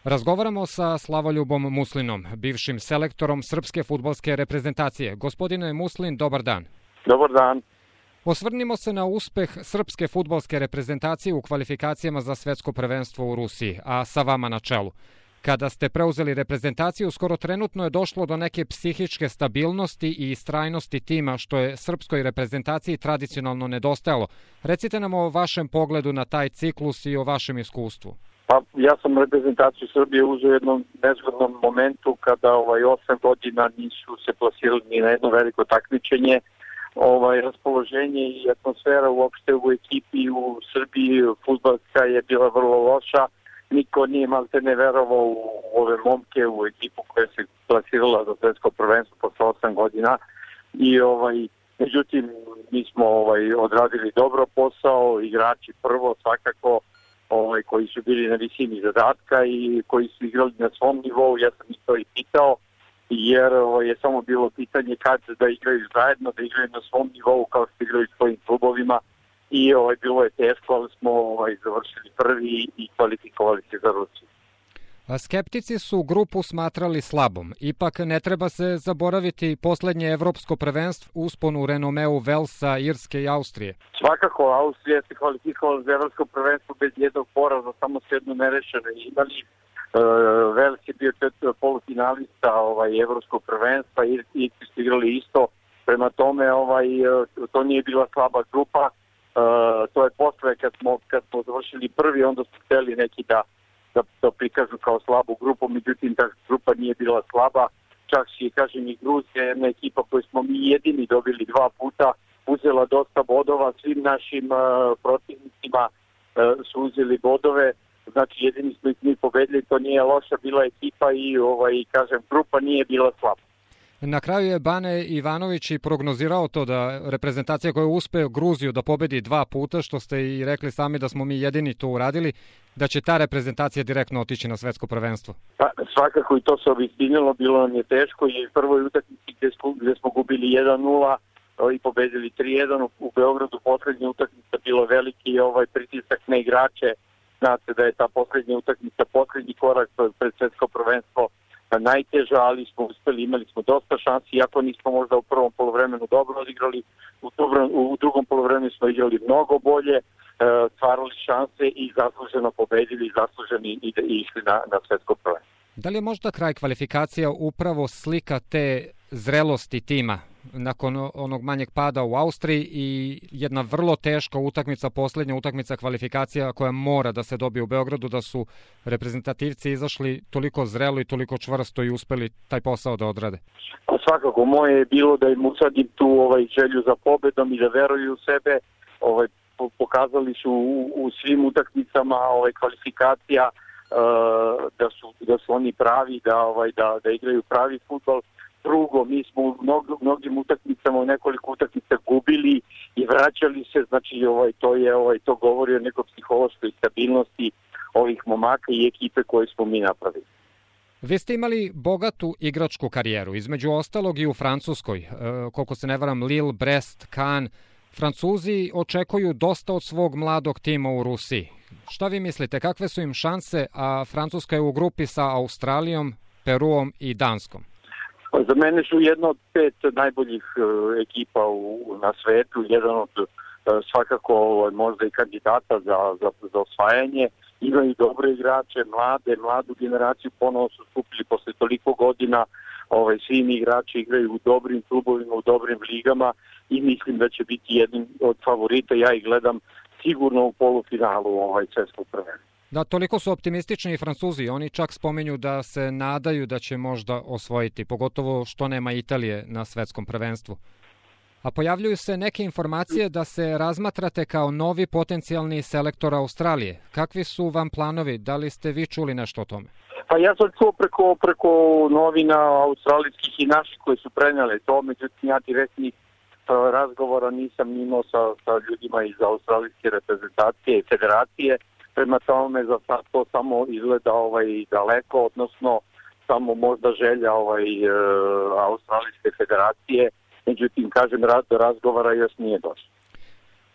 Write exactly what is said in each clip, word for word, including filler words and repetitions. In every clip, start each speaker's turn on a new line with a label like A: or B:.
A: Razgovaramo sa Slavoljubom Muslinom, bivšim selektorom srpske fudbalske reprezentacije. Gospodine Muslin, dobar dan.
B: Dobar dan.
A: Osvrnimo se na uspeh srpske fudbalske reprezentacije u kvalifikacijama za svetsko prvenstvo u Rusiji, a sa vama na čelu. Kada ste preuzeli reprezentaciju, skoro trenutno je došlo do neke psihičke stabilnosti i istrajnosti tima, što je srpskoj reprezentaciji tradicionalno nedostajalo. Recite nam o vašem pogledu na taj ciklus i o vašem iskustvu.
B: Pa, ja sam reprezentaciju Srbije uzeo u jednom nezgodnom momentu kada ovaj, osam godina nisu se plasirali ni na jedno veliko takmičenje. Ovaj, raspoloženje i atmosfera uopšte u ekipi u Srbiji fudbalska je bila vrlo loša. Niko nije malte ne verovao u ove momke, u ekipu koja se plasirala za svetsko prvenstvo posle osam godina. I ovaj, međutim, mi smo ovaj, odradili dobro posao, igrači prvo svakako, ovaj, koji su bili na visini zadatka i koji su igrali na svom nivou. Ja sam ih to i pitao, jer ovaj, je samo bilo pitanje kad da igraju zajedno, da igraju na svom nivou kao što igraju svojim klubovima. I ovaj, bilo je teško, ali smo ovaj, završili prvi i kvalifikovali se za Rusiju.
A: Skeptici su grupu smatrali slabom. Ipak ne treba se zaboraviti poslednje evropsko prvenstvo, uspon u renomeu Velsa, Irske i Austrije.
B: Svakako, Austrija se kvalifikovala za evropsko prvenstvo bez jednog poraza, samo se jedno nerešeno imali. Uh, Vels je bio polufinalista ovaj, evropskog prvenstva, Irci su igrali isto. Prema tome, ovaj, to nije bila slaba grupa. Uh, to je posle kad smo, kad smo završili prvi, onda su hteli neki da, da, da prikažu kao slabu grupu, međutim ta grupa nije bila slaba, čak i kažem i Gruzija, jedna ekipa koju smo mi jedini dobili dva puta, uzela dosta bodova, svim našim uh, protivnicima uh, su uzeli bodove, znači jedini smo ih mi pobedili, to nije loša bila ekipa i ovaj, kažem, grupa nije bila slaba.
A: Na kraju je Bane Ivanović i prognozirao to da reprezentacija koja uspe Gruziju da pobedi dva puta, što ste i rekli sami da smo mi jedini to uradili, da će ta reprezentacija direktno otići na svetsko prvenstvo.
B: Pa, svakako i to se obistinilo, bilo nam je teško i u prvoj utakmici gde smo, gde smo gubili jedan nula i pobedili tri jedan, u Beogradu poslednja utakmica bilo veliki ovaj pritisak na igrače. Znate da je ta poslednja utakmica poslednji korak pred svetsko prvenstvo najteža, ali smo uspeli, imali smo dosta šansi, iako nismo možda u prvom polovremenu dobro odigrali, u, dobro, u drugom polovremenu smo igrali mnogo bolje, e, stvarali šanse i zasluženo pobedili, zasluženi i, i išli na, na svetsko prvenstvo.
A: Da li je možda kraj kvalifikacija upravo slika te zrelosti tima nakon onog manjeg pada u Austriji i jedna vrlo teška utakmica, poslednja utakmica kvalifikacija koja mora da se dobije u Beogradu, da su reprezentativci izašli toliko zrelo i toliko čvrsto i uspeli taj posao da odrade?
B: Pa svakako, moje je bilo da im usadim tu ovaj, želju za pobedom i da veruju u sebe. Ovaj, pokazali su u, u svim utakmicama ovaj, kvalifikacija uh, da, su, da su oni pravi, da, ovaj, da, da igraju pravi fudbal. Drugo, mi smo u mnog, mnogim utakmicama, u nekoliko utakmica gubili i vraćali se, znači ovaj, to je ovaj, to govori o nekoj psihološkoj stabilnosti ovih momaka i ekipe koje smo mi napravili.
A: Vi ste imali bogatu igračku karijeru, između ostalog i u Francuskoj, e, koliko se ne varam, Lille, Brest, Cannes. Francuzi očekuju dosta od svog mladog tima u Rusiji. Šta vi mislite, kakve su im šanse, a Francuska je u grupi sa Australijom, Peruom i Danskom?
B: Za mene su jedna od pet najboljih uh, ekipa u, na svetu, jedan od uh, svakako uh, možda i kandidata za, za, za osvajanje. Imaju dobre igrače, mlade, mladu generaciju, ponovo su skupili posle toliko godina. Ovaj, svi igrači igraju u dobrim klubovima, u dobrim ligama i mislim da će biti jednim od favorita. Ja ih gledam sigurno u polufinalu ovaj svetskog prvenstva.
A: Da, toliko su optimistični i Francuzi. Oni čak spomenju da se nadaju da će možda osvojiti, pogotovo što nema Italije na svetskom prvenstvu. A pojavljuju se neke informacije da se razmatrate kao novi potencijalni selektor Australije. Kakvi su vam planovi? Da li ste vi čuli nešto o tome?
B: Pa ja sam čuo preko, preko novina australijskih i naših koji su prenijeli to, međutim ja direktnih razgovora nisam imao sa, sa ljudima iz australijske reprezentacije i federacije. Prema tome za sad to samo izgleda ovaj, daleko, odnosno samo možda želja ovaj, e, Australijske federacije, međutim, kažem, rad do razgovora još nije došlo.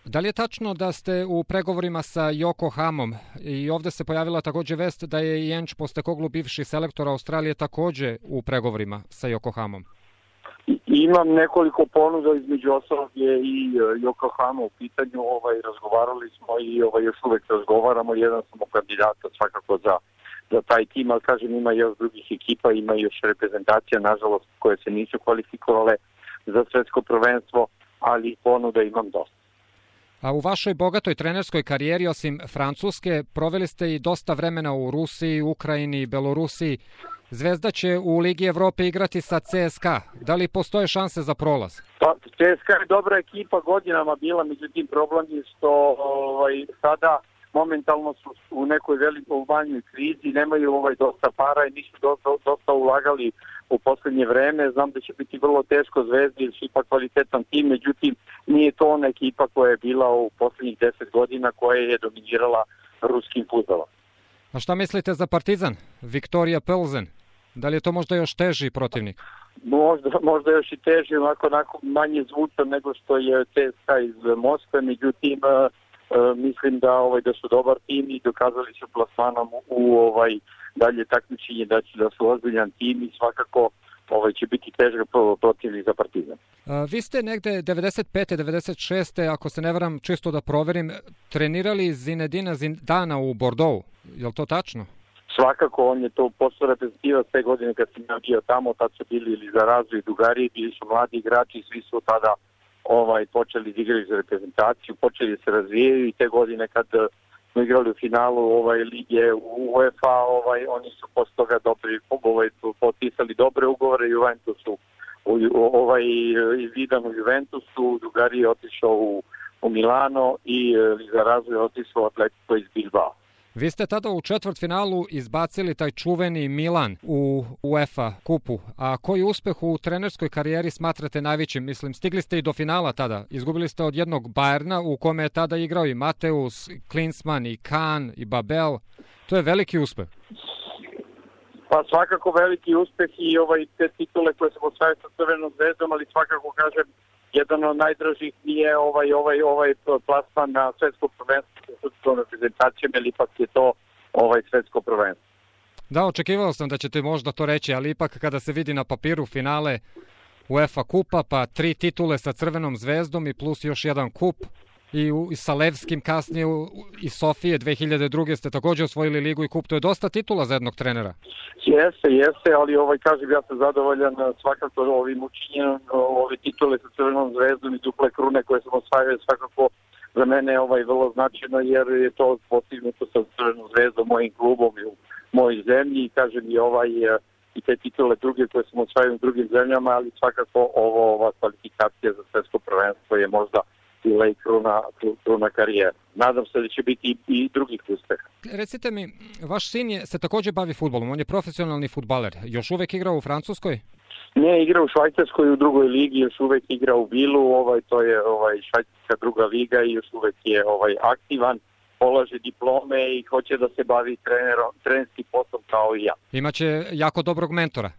A: Da li je tačno da ste u pregovorima sa Yokohamom i ovde se pojavila takođe vest da je i Ange Postecoglou, bivši selektor Australije, takođe u pregovorima sa Yokohamom?
B: Imam nekoliko ponuda, između ostalog je i Yokohama u pitanju, ovaj, razgovarali smo i ovaj, još uvek razgovaramo, jedan sam u kandidata svakako za, za taj tim, ali kažem ima još drugih ekipa, ima još reprezentacija, nažalost, koje se nisu kvalifikovale za svetsko prvenstvo, ali ponuda imam dosta.
A: A u vašoj bogatoj trenerskoj karijeri, osim Francuske, proveli ste i dosta vremena u Rusiji, Ukrajini, Belorusiji. Zvezda će u Ligi Evrope igrati sa C S K A. Da li postoje šanse za prolaz?
B: Pa, C S K A je dobra ekipa godinama bila, međutim problem je što ovaj, sada momentalno su u nekoj velikoj manjoj krizi, nemaju ovaj dosta para i nisu dosta, dosta ulagali u poslednje vreme. Znam da će biti vrlo teško Zvezdi, jer su ipak kvalitetan tim, međutim nije to ona ekipa koja je bila u poslednjih deset godina koja je dominirala ruskim fudbalom.
A: A šta mislite za Partizan? Viktorija Plzen? Da li je to možda još teži protivnik?
B: Možda, možda još i teži, onako, onako manje zvučan nego što je C S K A iz Moskve, međutim uh, uh, mislim da ovaj da su dobar tim i dokazali su plasmanom u ovaj dalje takmičenje da će da su ozbiljan tim i svakako ovaj će biti težak protivnik za Partizan.
A: A, vi ste negde devedeset pete devedeset šeste ako se ne varam, čisto da proverim, trenirali Zinedina Zidana u Bordeauxu. Je li to tačno?
B: Svakako, on je to postao reprezentativac te godine kad sam ja bio tamo, tad su bili ili za razvoj Dugarije, bili su mladi igrači, svi su tada ovaj, počeli da igraju za reprezentaciju, počeli da se razvijaju i te godine kad smo igrali u finalu ovaj, lige u UEFA, ovaj, oni su posle toga dobri, ovaj, potpisali dobre ugovore, Juventusu, ovaj, Zidane u Juventusu, Dugarije je otišao u, u Milano i za razvoj otišao Atletico iz Bilbao.
A: Vi ste tada u četvrtfinalu izbacili taj čuveni Milan u UEFA kupu. A koji uspeh u trenerskoj karijeri smatrate najvećim? Mislim, stigli ste i do finala tada. Izgubili ste od jednog Bayerna u kome je tada igrao i Mateus, Klinsmann, i Kahn, i Babel. To je veliki uspeh.
B: Pa svakako veliki uspeh i ovaj te titule koje sam osvajao sa Crvenom zvezdom, ali svakako kažem, jedan od najdražih nije ovaj ovaj ovaj plasman na svetsko prvenstvo sa srpskom reprezentacijom, ili ipak je to ovaj svetsko prvenstvo.
A: Da, očekivao sam da ćete možda to reći, ali ipak kada se vidi na papiru finale UEFA kupa, pa tri titule sa Crvenom zvezdom i plus još jedan kup, i, u, i sa Levskim kasnije u, i Sofije dve hiljade druge ste takođe osvojili ligu i kup, to je dosta titula za jednog trenera.
B: Jeste, jeste, ali ovaj kažem ja sam zadovoljan svakako ovim učinjenom, ove titule sa Crvenom zvezdom i duple krune koje sam osvajao svakako za mene je ovaj vrlo značajno jer je to postignuto sa Crvenom zvezdom, mojim klubom i u mojoj zemlji i kažem i ovaj i te titule druge koje sam osvajao u drugim zemljama, ali svakako ovo, ova kvalifikacija za svetsko prvenstvo je možda bila i kruna, kruna karijera. Nadam se da će biti i drugih uspeha.
A: Recite mi, vaš sin je, se takođe bavi fudbalom, on je profesionalni fudbaler. Još uvek igra u Francuskoj?
B: Ne, igra u Švajcarskoj u drugoj ligi, još uvek igra u Bilu, ovaj, to je ovaj, švajcarska druga liga i još uvek je ovaj, aktivan, polaže diplome i hoće da se bavi trenerom, trenerskim poslom kao i ja.
A: Imaće jako dobrog mentora.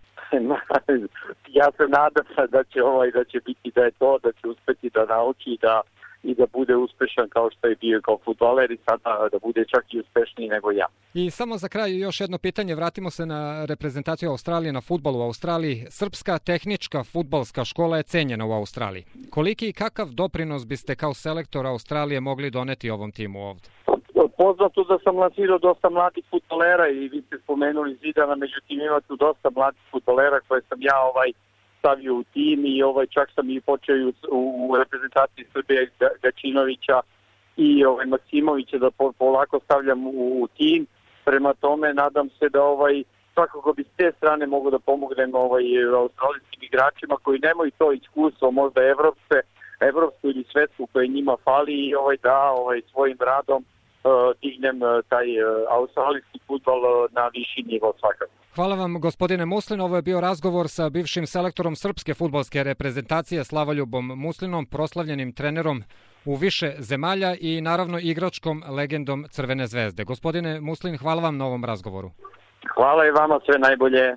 B: Ja se nadam da će ovaj da će biti da je to, da će uspeti da nauči da i da bude uspešan kao što je bio kao fudbaler i sada da bude čak i uspešniji nego ja.
A: I samo za kraj još jedno pitanje, vratimo se na reprezentaciju Australije na fudbalu u Australiji. Srpska tehnička fudbalska škola je cenjena u Australiji. Koliki i kakav doprinos biste kao selektor Australije mogli doneti ovom timu ovde?
B: Poznato da sam lansirao dosta mladih fudbalera i vi ste spomenuli Zidana, međutim ima tu dosta mladih fudbalera koje sam ja ovaj stavio u tim i ovaj čak sam i počeo u, u reprezentaciji Srbije Gačinovića i ovaj Maksimovića da po, polako stavljam u, u tim. Prema tome nadam se da ovaj svakako bi s te strane mogu da pomognem ovaj australijskim igračima koji nemaju to iskustvo, možda evropske, evropsku ili svetsku koje njima fali i ovaj da ovaj svojim radom dignem taj australijski fudbal na viši nivo svakako.
A: Hvala vam gospodine Muslin, ovo je bio razgovor sa bivšim selektorom srpske fudbalske reprezentacije Slavoljubom Muslinom, proslavljenim trenerom u više zemalja i naravno igračkom legendom Crvene zvezde. Gospodine Muslin, hvala vam na ovom razgovoru.
B: Hvala i vama, sve najbolje.